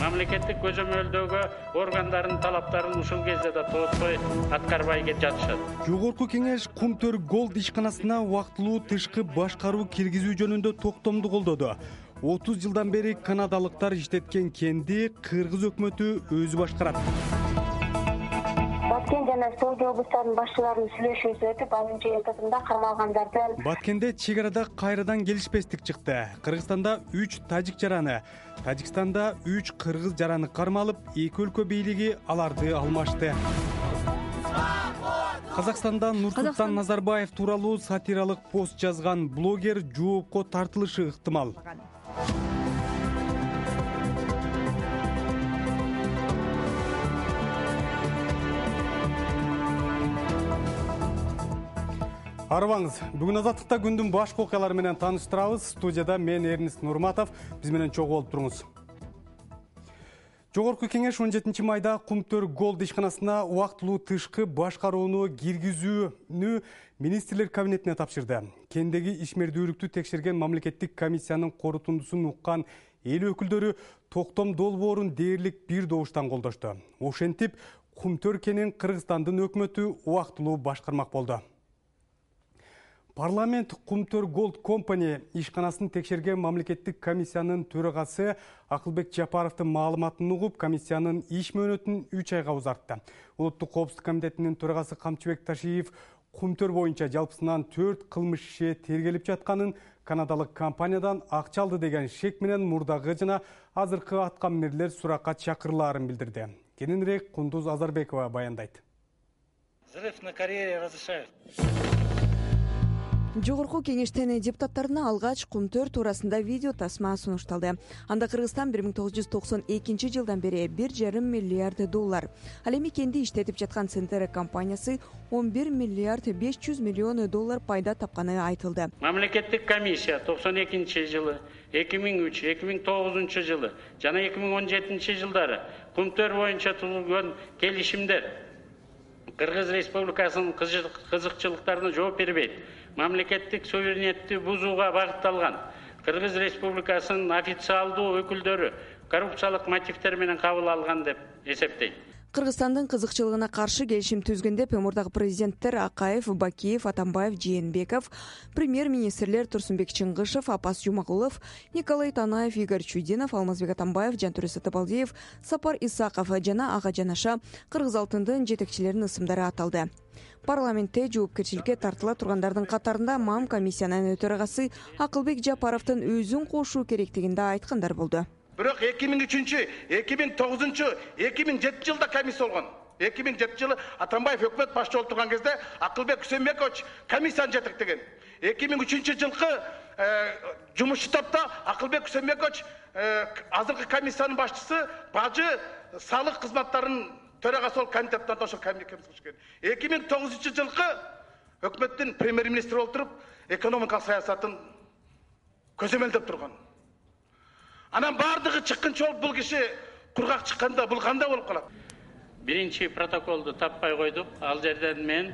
Мамлекеттик көзөмөлдөгө органдардын талаптарын ушул кезде да тоотпой аткарбай жатышат. Жогорку кеңеш Кумтөр Голд ишканасына убактылуу тышкы башкаруу киргизүү жөнүндө токтомду колдоду. 30 жылдан бери канадалыктар иштеткен кенди кыргыз өкмөтү өзү башкарат. Баткен жана Соода облустарынын башчыларынын сүйлөшүүсү өтүп, анын этапында кармалгандардын Баткенде чек арада кайрадан келишпестик чыкты. Кыргызстанда 3 тажик жараны, Тажикстанда 3 кыргыз жараны кармалып, эки өлкө бийлиги аларды алмашты. Казакстанда Нурсултан Назарбаев тууралуу сатиралык пост жазган блогер жоопко тартылышы ыктымал. Арыбаңыз, бүгүн Азаттыкта күндүн башкы окуялары менен тааныштырабыз. Студияда мен Эрнест Нурматов, биз менен чогуу болуп туруңуз. Жогорку кеңеш 17 майда Кумтөр Голд ишканасына убактылуу тышкы башкарууну киргизүүнү министрлер кабинетине тапшырды. Кендеги ишмердүүлүктү текшерген мамлекеттик комиссиянын корутундусун уккан эл өкүлдөрү токтом долбоорун дээрлик бир добуштан колдошту. Ошентип, Кумтөр кенин Кыргызстандын өкмөтү убактылуу башкармак болду. Парламент Кумтөр Голд Компани ишканасын текшерген мамлекеттик комиссиянын төрагасы Акылбек Жапаровдун маалыматын угуп, комиссиянын иш мөөнөтүн 3 айга узартты. Улуттук коопсуздук комитетинин төрагасы Камчыбек Ташиев Кумтөр боюнча жалпысынан 4 кылмыш иши тергелип жатканын, канадалык компаниядан акча алды деген шек менен мурдагы жана азыркы аткаминерлер суракка чакырылаарын билдирди. Кененирээк Кундуз Азарбекова баяндайт. Взрыв на карьере разрешают. Жогорку кеңештен депутаттарына алгач Кумтөр туурасында видео тасма сунушталды. Анда Кыргызстан 1992 жылдан бери 1,5 миллиард доллар. Ал эми кенди иштетип жаткан Центр компаниясы 11 миллиард 500 миллион доллар пайда тапканы айтылды. Мамлекеттик комиссия 92 жылы, 2003, 2009 жылы жана 2017 жылдары Кумтөр боюнча түзүлгөн келишимдер Кыргыз Республикасынын кызыкчылыктарына жооп бербейт. Мамлекеттик суверенитетти бузууга багытталган. Кыргыз Республикасынын официалдуу өкүлдөрү коррупциялык мотивдер менен кабыл алган деп эсептейт. Кыргызстандын кызыкчылыгына каршы келишим түзгөндө мурдагы президенттер Акаев, Бакиев, Атамбаев, Жээнбеков, премьер-министрлер Турсунбек Чыңгышев, Апас Жумагулов, Николай Танаев, Игорь Чудинов, Алмазбек Атамбаев, Жантүрө Сатыбалдиев, Сапар Исаков жана ага жанаша Кыргыз алтындын жетекчилеринин ысымдары аталды. Парламентте жоопкерчиликке тартыла тургандардын катарында МАМ комиссиянын төрагасы Акылбек Жапаровдун өзүн кошуу керектигинде айткандар болду. Бирок 2003, 2009, 2007 жылда комиссия болгон. 2007 жылы Атамбаев өкмөт башчы болуп турган кезде Акылбек Үсөнбекович комиссияны жетектеген. 2003 жылкы жумушчу топто Акылбек Үсөнбекович азыркы комиссиянын башчысы бажы салык кызматтарынын төрагасы болуп комитеттен ошол комиссия кылышкан. 2009 жылкы өкмөттүн премьер-министри болуп туруп экономикалык саясатын көзөмөлдөп турган. Анан бардыгы чыккынчы болуп бул киши кургак чыкканда бул кандай болуп калат? Биринчи протоколду таппай койдук. Ал жерден мен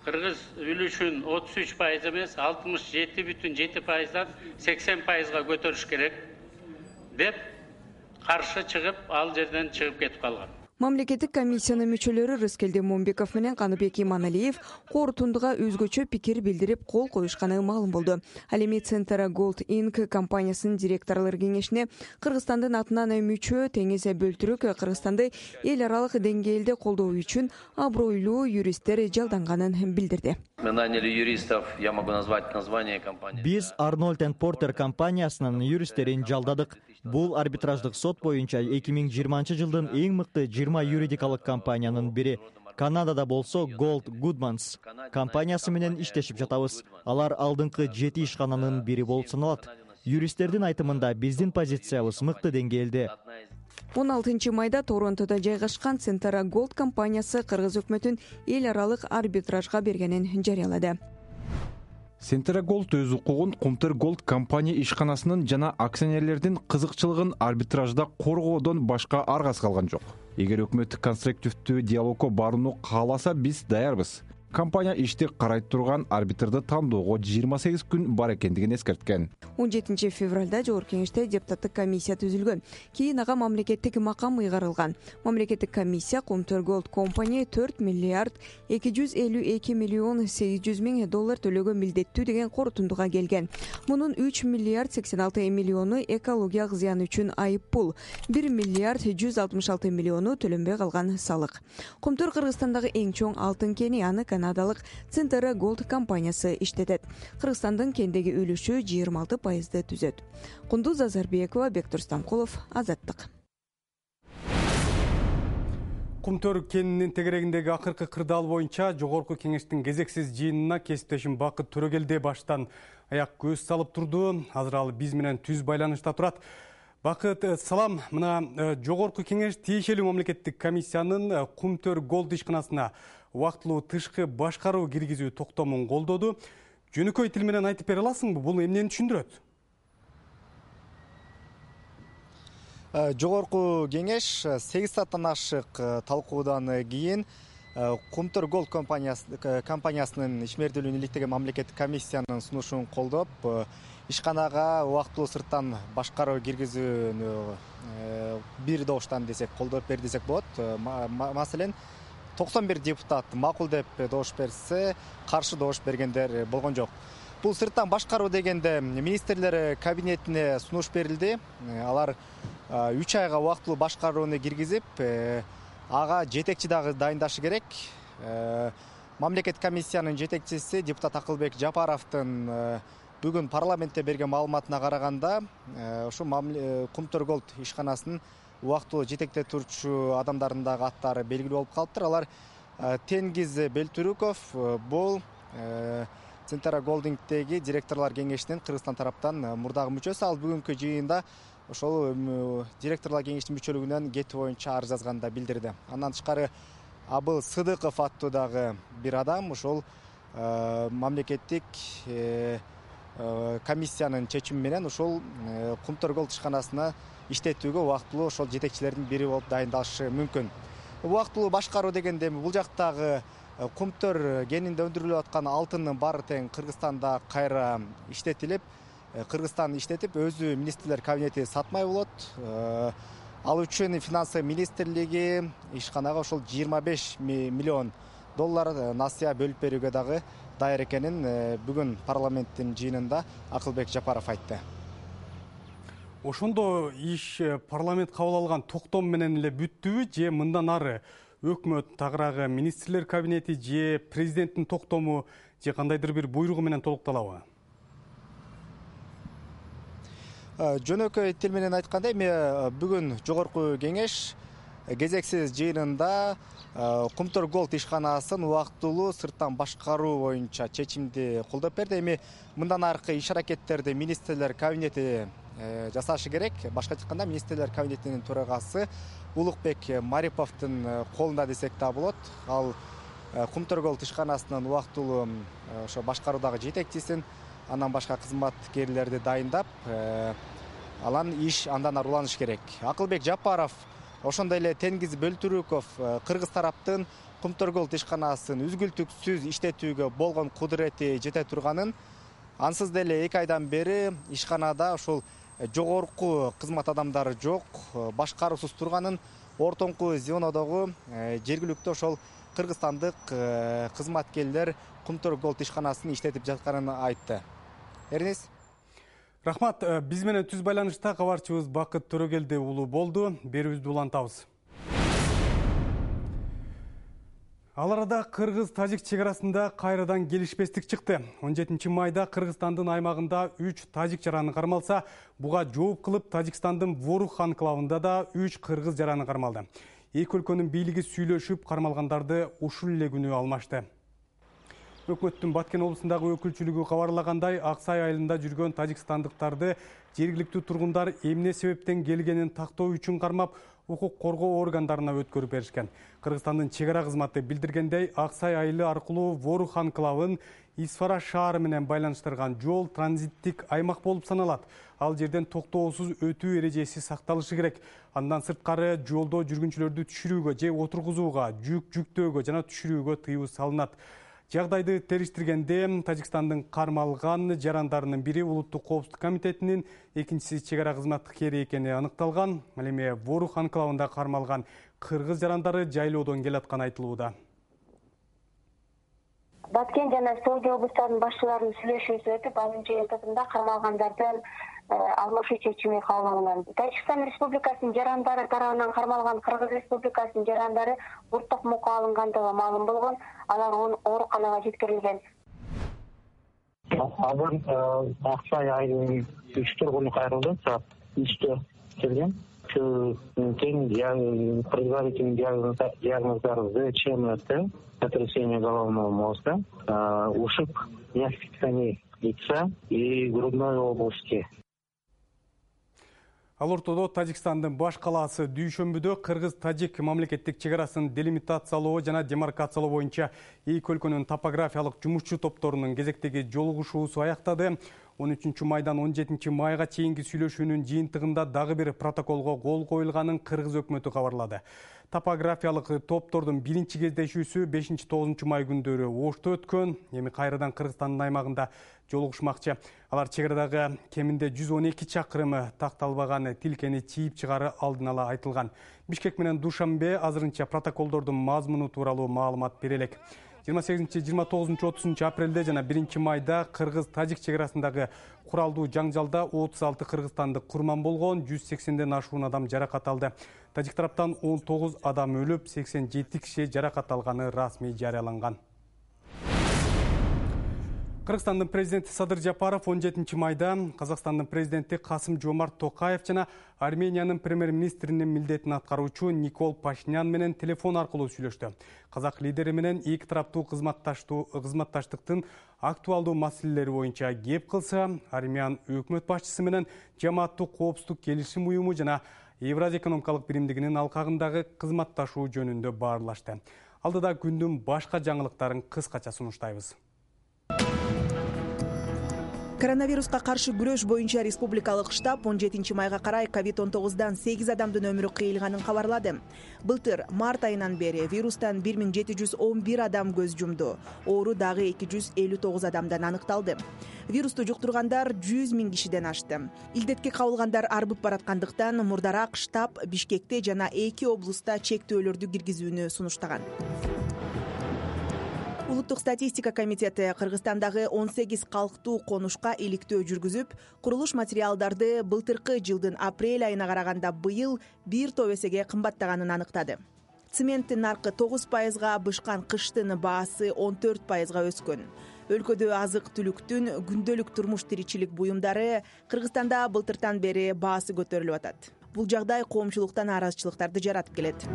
Кыргыз үлүшүн 33% эмес, 67,7%дан 80%га көтөрүш керек деп каршы чыгып, ал жерден чыгып кетип калган. Мамлекеттик комиссиянын мүчөлөрү Рыскелди Момбеков менен Каныбек Иманалиев корутундуга өзгөчө пикир билдирип кол коюшканы маалым болду. Ал эми Центр Голд Инк компаниясынын директорлор кеңешине Кыргызстандын атынан мүчө Теңиз Бөлтүрүк Кыргызстанды эл аралык деңгээлде колдоо үчүн абройлуу юристтер жалданганын билдирди. Мы наняли юристов, я могу назвать название компании. Биз Arnold & Porter компаниясынын юристтерин жалдадык. Бул арбитраждык сот боюнча 2020 жылдын эң мыкты 20 юридикалык компаниянын бири. Канадада болсо Gold Goodmans компаниясы менен иштешип жатабыз. Алар алдыңкы 7 ишкананын бири болуп саналат. Юристтердин айтымында биздин позициябыз мыкты деңгээлде. 16 майда Торонтодо жайгашкан Центр Голд компаниясы Кыргыз өкмөтүн эл аралык арбитражга бергенин жарыялады. Центр Голд өз укугун Кумтөр Голд компания ишканасынын жана акционерлердин кызыкчылыгын арбитражда коргоодон башка аргасы калган жок. Эгер өкмөт конструктивдүү диалогко барууну кааласа, биз даярбыз. Компания ишти карай турган арбитрди тандоого 28 күн бар экендигин эскерткен. 17 февралда жогорку кеңеште депутаттык комиссия түзүлгөн. Кийин ага мамлекеттик макам ыйгарылган. Мамлекеттик комиссия Comter Gold Company 4 миллиард 252 миллион 800 миң доллар төлөгө милдеттүү деген корутундуга келген. Мунун 3 миллиард 86 миллиону экологиялык зыян үчүн айып пул, 1 миллиард 166 миллиону төлөнбөй калган салык. Comter Кыргызстандагы эң чоң алтын кени, аны канадалык Centera Gold компаниясы иштетет. Кыргызстандын кендеги үлүшү 26% түзөт. Кундуз Азарбекова, Бектур Стамкулов, Азаттык. Кумтөр кенинин тегерегиндеги акыркы кырдаал боюнча жогорку кеңештин кезексиз жыйынына кесиптешим Бакыт Төрөгелди баштан аяк көз салып турду. Азыр ал биз менен түз байланышта турат. Бакыт, салам. Мына жогорку кеңеш тиешелүү мамлекеттик комиссиянын Кумтөр Голд ишканасына убактылуу тышкы башкаруу киргизүү токтомун колдоду. Жөнөкөй тил менен айтып бере аласыңбы? Бул эмнени түшүндүрөт? Жогорку кеңеш 8 сааттан ашык талкуудан кийин Comter Gold компаниясынын ишмердүүлүгүн иликтеген мамлекеттик комиссиянын сунушун колдоп, ишканага убактылуу сырттан башкаруу киргизүүнү бир добуштан десек колдоп бер десек болот. Маселен, 91 депутат макул деп добуш берсе, каршы добуш бергендер болгон жок. Бул сырттан башкаруу дегенде министрлер кабинетине сунуш берилди. Алар 3 айга убактылуу башкарууну киргизип, ага жетекчи дагы дайындашы керек. Мамлекет комиссиянын жетекчиси депутат Акылбек Жапаровдун бүгүн парламентте берген маалыматына караганда, ушу Comter Gold ишканасынын убактылуу жетектеп турчу адамдардын дагы аттары белгилүү болуп калыптыр. Алар Тенгиз Белтүрүков, бул Centera Goldingдеги директорлор кеңешинин Кыргызстан тараптан мурдагы мүчөсү. Ал бүгүнкү жыйында ошол директорлор кеңешинин мүчөлүгүнөн кетүү боюнча арыз жазганда билдирди. Андан тышкары Абыл Сыдыков аттуу дагы бир адам ошол мамлекеттик комиссиянын чечими менен ошол Comter Gold ишканасына иштетүүгө убактылуу ошол жетекчилердин бири болуп дайындалышы мүмкүн. Убактылуу башкаруу дегенде бул жактагы Comter кенинде өндүрүлүп аткан алтындын баары тең Кыргызстанда кайра иштетилип, Кыргызстан иштетип, өзү министрлер кабинети сатмай болот. Ал үчүн финансы министрлиги ишканага ошол 25 миллион доллар насыя бөлүп берүүгө дагы даяр экенин бүгүн парламенттин жыйынында Акылбек Жапаров айтты. Ошондо иш парламент кабыл алган токтом менен эле бүттүбү же мындан ары өкмөт тагыраагы министрлер кабинети же президенттин токтому же кандайдыр бир буйругу менен толукталабы? Жөнөкөй тил менен айтканда, эми бүгүн жогорку кеңеш кезексиз жыйынында Comter Gold ишканасын убактылуу сырттан башкаруу боюнча чечимди колдоп берди. Эми мындан аркы иш аракеттерди министрлер кабинети жасашы керек. Башка айтканда, министрлер кабинетинин төрагасы Улукбек Мариповдун колунда десек да болот. Ал Comter Gold ишканасынын убактылуу ошо башкаруудагы жетекчисин, андан башка кызматкерлерди дайындап, алан иш андан ары уланыш керек. Акылбек Жапаров, ошондой эле Тенгиз Белтүрүков кыргыз тараптын Comter Gold ишканасын үзгүлтүксүз иштетүүгө болгон кудурети жете турганын, ансыз деле 2 айдан бери ишканада ошол жогорку кызмат адамдары жок, башкаруусуз турганын, ортоңку звенодогу жергиликтүү ошол кыргызстандык кызматкерлер Comter Gold ишканасын иштетип жатканын айтты. Эрнис. Рахмат, биз менен түз байланышта кабарчыбыз Бакыт Төрөгелди уулу болду. Берүүбүздү улантабыз. Ал арада Кыргыз-Тажик чегарасында кайрадан келишпестик чыкты. 17 майда Кыргызстандын аймагында 3 тажик жараны кармалса, буга жооп кылып Тажикстандын Ворух анклавында да 3 кыргыз жараны кармалды. Эки өлкөнүн бийлиги сүйлөшүп, кармалгандарды ушул эле күнү алмашты. Өкмөттүн Баткен облусундагы өкүлчүлүгү кабарлагандай, Аксай айылында жүргөн тажикстандыктарды жергиликтүү тургундар эмне себептен келгенин тактоо үчүн кармап, укук коргоо органдарына өткөрүп беришкен. Кыргызстандын чегара кызматы билдиргендей, Аксай айылы аркылуу Ворух анклавын Исфара шаары менен байланыштырган жол транзиттик аймак болуп саналат. Ал жерден токтоосуз өтүү эрежеси сакталышы керек. Андан сырткары жолдо жүргүнчүлөрдү түшүрүүгө же отургузууга, жүк жүктөөгө жана түшүрүүгө тыюу салынат. Жагдайды териштиргенде Тажикстандын кармалган жарандарынын бири Улуттук коопсуздук комитетинин, экинчиси чек ара кызматкери экени аныкталган. Ал эми Ворух анклавында кармалган кыргыз жарандары жайлоодон келатканы айтылууда. Баткен жана Соода облустарынын башчыларынын сүйлөшүүсү өтүп, анын жыйынтыгында кармалгандардын алмашуу чечими кабыл алынган. Тажикстан Республикасынын жарандары тарабынан кармалган Кыргыз Республикасынын жарандары буртук мукка алынгандыгы маалым болгон. Алар ооруканага жеткирилген. Алар Аксай айылынын 3 тургуну кайрылды, саат 3-тө келген. Предварительный диагноздары ЗЧМТ, сотрясение головного мозга, ушиб мягких тканей лица и грудной области. Ал ортодо Тажикстандын баш калаасы дүйшөмбүдө кыргыз-тажик мамлекеттик чек арасын делимитациялоо жана демаркациялоо боюнча эки өлкөнүн топографиялык жумушчу топторунун кезектеги жолугушуусу аяктады. 13 майдан 17 майга чейинки сүйлөшүүнүн жыйынтыгында дагы бир протоколго кол коюлганын кыргыз өкмөтү кабарлады. Топографиялык топтордун биринчи кездешүүсү 5-9 май күндөрү Ошто өткөн. Эми кайрадан Кыргызстандын аймагында жолугушмакчы. Алар чек арадагы кеминде 112 чакырымы такталбаган тилкени чийип чыгары алдын ала айтылган. Бишкек менен Душанбе азырынча протоколдордун мазмуну тууралуу маалымат бере элек. 28-29-30 апрелде жана 1 майда Кыргыз-Тажик чек арасындагы куралдуу жаңжалда 36 кыргызстандык курман болгон, 180ден ашуун адам жаракат алды. Тажик тараптан 19 адам өлүп, 87 киши жаракат алганы расмий жарыяланган. Кыргызстандын президенти Садыр Жапаров 17 майда Казакстандын президенти Касым-Жомарт Токаев жана Армениянын премьер-министринин милдетин аткаруучу Никол Пашинян менен телефон аркылуу сүйлөштү. Казак лидери менен эки тараптуу кызматташтыктын актуалдуу маселелери боюнча кеп кылса, Армян өкмөт башчысы менен Жамааттык коопсуздук келишим уюму жана Евразия экономикалык биримдигинин алкагындагы кызматташуу жөнүндө баарлашты. Алдыда күндүн башка жаңылыктарын кыскача сунуштайбыз. Коронавируска каршы күрөш боюнча республикалык штаб 17 майга карай COVID-19дан 8 адамдын өмүрү кыйылганын кабарлады. Былтыр март айынан бери вирустан 1711 адам көз жумду. Оору дагы 259 адамдан аныкталды. Вирусту жуктургандар 100 000 кишиден ашты. Илдетке кабылгандар арбып бараткандыктан мурдараак штаб Бишкекте жана 2 облуста чектөөлөрдү киргизүүнү сунуштаган. Улуттук статистика комитети Кыргызстандагы 18 калктуу конушка иликтөө жүргүзүп, курулуш материалдарды былтыркы жылдын апрель айына караганда быйыл 1 топ эсеге кымбаттаганын аныктады. Цементтин наркы 9%, бышкан кыштын баасы 14%га өскөн. Өлкөдө азык-түлүктүн күндөлүк турмуш тиричилик буюмдары Кыргызстанда былтыртан бери баасы көтөрүлүп атат. Бул жагдай коомчулуктан нааразычылыктарды жаратып келет.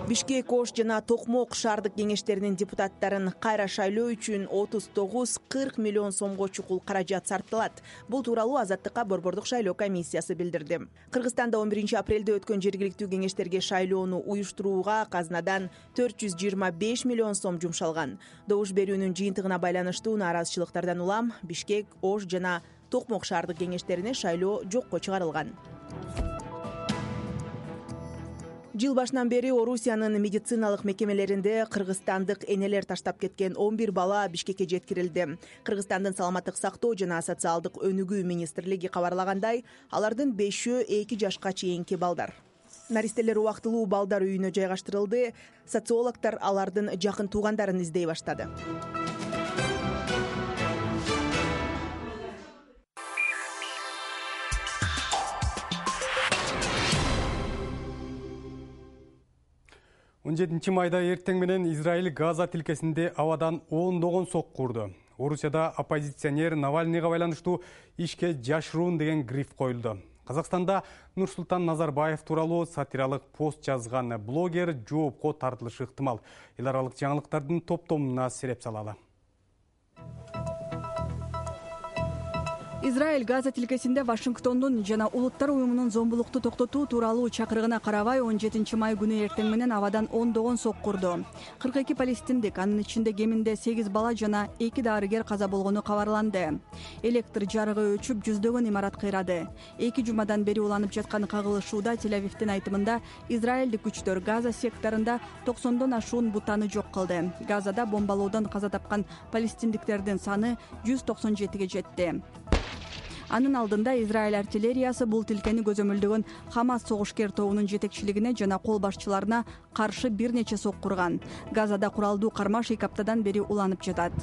Бишкек, Ош жана Токмок шаардык кеңештеринин депутаттарын кайра шайлоо үчүн 39-40 миллион сомго чукул каражат сарпталат. Бул тууралуу Азаттыкка борбордук шайлоо комиссиясы билдирди. Кыргызстанда 11 апрелде өткөн жергиликтүү кеңештерге шайлоону уюштурууга казынадан 425 миллион сом жумшалган. Добуш берүүнүн жыйынтыгына байланыштуу нааразычылыктардан улам Бишкек, Ош жана Токмок шаардык кеңештерине шайлоо жокко чыгарылган. Жыл башынан бери Орусиянын медициналык мекемелеринде кыргызстандык энелер таштап кеткен 11 бала Бишкекке жеткирилди. Кыргызстандын саламаттык сактоо жана социалдык өнүгүү министрлиги кабарлагандай, алардын 5-өө 2 жашка чейинки балдар. Наристелер убактылуу балдар үйүнө жайгаштырылды. Социологдор алардын жакын туугандарын издей баштады. Он 17 майда эртең менен Израиль Газа тилкесинде абадан ондогон сокку урду. Орусияда оппозиционер Навальныйга байланыштуу ишке жашыруун деген гриф коюлду. Казакстанда Нурсултан Назарбаев тууралуу сатиралык пост жазган блогер жоопко тартылышы ыктымал. Эл аралык жаңылыктардын топтомуна сереп салалы. Израиль Газа тилкесинде Вашингтондун жана Улуттар уюмунун зомбулукту токтотуу тууралуу чакырыгына карабай 17 май күнү эртең менен абадан ондогон сокку урду. 42 палестиндик, анын ичинде кеминде 8 бала жана 2 дарыгер каза болгону кабарланды. Электр жарыгы өчүп, жүздөгөн имарат кыйрады. 2 жумадан бери уланып жаткан кагылышууда Тель-Авивдин айтымында израилдик күчтөр Газа секторунда 90дон ашуун бутаны жок кылды. Газада бомбалоодон каза тапкан палестиндиктердин саны 197ге жетти. Анын алдында Израиль артиллериясы бул тилкени көзөмөлдөгөн Хамас согушкер тобунун жетекчилигине жана кол башчыларына каршы бир нече сокку урган. Газада куралдуу кармаш 2 аптадан бери уланып жатат.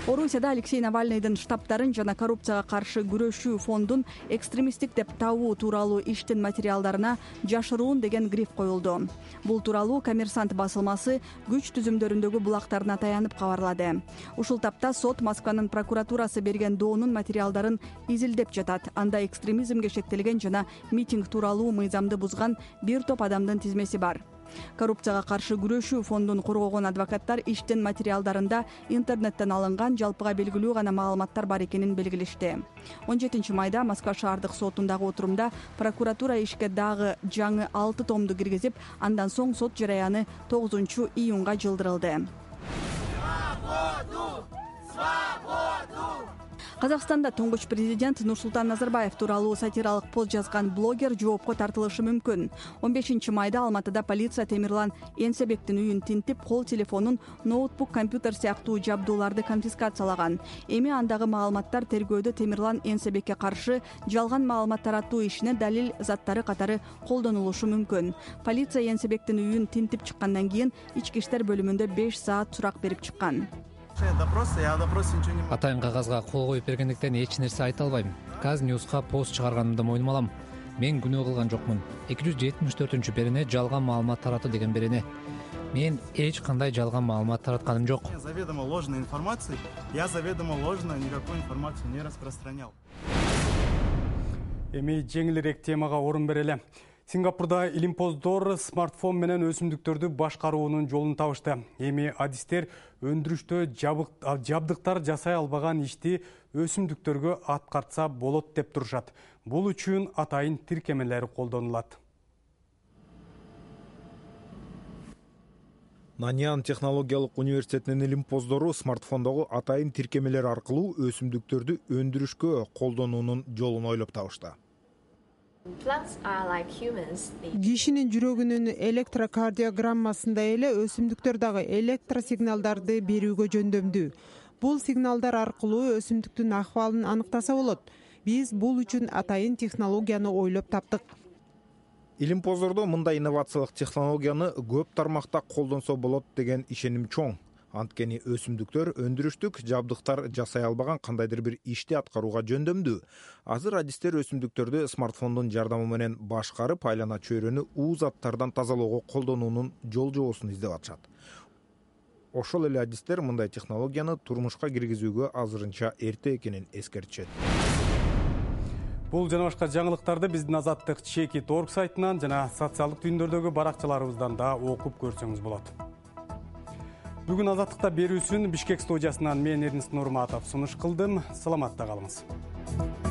Орусияда Алексей Навальныйдын штабтарын жана коррупцияга каршы күрөшүү фондун экстремисттик деп табуу тууралуу иштин материалдарына жашыруун деген гриф коюлду. Бул тууралуу Коммерсант басылмасы күч түзүмдөрүндөгү булактарына таянып кабарлады. Ушул тапта сот Москванын прокуратурасы берген доонун материалдарын изилдеп жатат. Анда экстремизмге шектелген жана митинг тууралуу мыйзамды бузган бир топ адамдын тизмеси бар. Коррупцияга каршы күрөшүү фондун коргогон адвокаттар иштин материалдарында интернеттен алынган жалпыга белгилүү гана маалыматтар бар экенин белгилешти. 17 майда Москва шаардык сотундагы отурумда прокуратура ишке дагы жаңы 6 томду киргизип, андан соң сот жараяны 9 июнга жылдырылды. Казакстанда туңгуч президент Нурсултан Назарбаев тууралуу сатиралык пост жазган блогер жоопко тартылышы мүмкүн. 15 майда Алматыда полиция Темирлан Энсебектин үйүн тинтип, кол телефонун, ноутбук, компьютер сыяктуу жабдууларды конфискациялаган. Эми андагы маалыматтар тергөөдө Темирлан Энсебекке каршы жалган маалымат таратуу ишине далил заттары катары колдонулушу мүмкүн. Полиция Энсебектин үйүн тинтип чыккандан кийин ички иштер бөлүмүндө 5 саат сурак берип чыккан. Атайын кагазга кол коюп бергендиктен эч нерсе айта албайм. Казньюзга пост чыгарганымды мойнума алам. Мен күнөө кылган жокмун. 274-берене жалган маалымат таратты деген берене. Мен эч кандай жалган маалымат таратканым жок. Заведомо ложной информацией, я заведомо ложно никакой информацию не распространял. Эми жеңилирээк темага орун берели. Сингапурда илимпоздор смартфон менен өсүмдүктөрдү башкаруунун жолун табышты. Эми адистер өндүрүштө жабдыктар жасай албаган ишти өсүмдүктөргө аткартса болот деп турушат. Бул үчүн атайын тиркемелер колдонулат. Наньян технологиялык университетинин илимпоздору смартфондогу атайын тиркемелер аркылуу өсүмдүктөрдү өндүрүшкө колдонуунун жолун ойлоп табышты. Кишинин жүрөгүнүн электрокардиограммасындай эле өсүмдүктөр дагы электросигналдарды берүүгө жөндөмдүү. Бул сигналдар аркылуу өсүмдүктүн акыбалын аныктаса болот. Биз бул үчүн атайын технологияны ойлоп таптык. Илимпоздордо мындай инновациялык технологияны көп тармакта колдонсо болот деген ишеним чоң. Анткени өсүмдүктөр өндүрүштүк жабдыктар жасай албаган кандайдыр бир ишти аткарууга жөндөмдүү. Азыр адистер өсүмдүктөрдү смартфондун жардамы менен башкарып, айлана чөйрөнү уу заттардан тазалоого колдонуунун жол жобосун издеп атышат. Ошол эле адистер мындай технологияны турмушка киргизүүгө азырынча эрте экенин эскертишет. Бул жана башка жаңылыктарды биздин Азаттык Чекит.org сайтынан жана социалдык түйүндөрдөгү баракчаларыбыздан да окуп көрсөңүз болот. Бүгүн Азаттыкта берүүсүн Бишкек студиясынан мен Эрнис Нурматов сунуш кылдым. Саламатта калыңыз.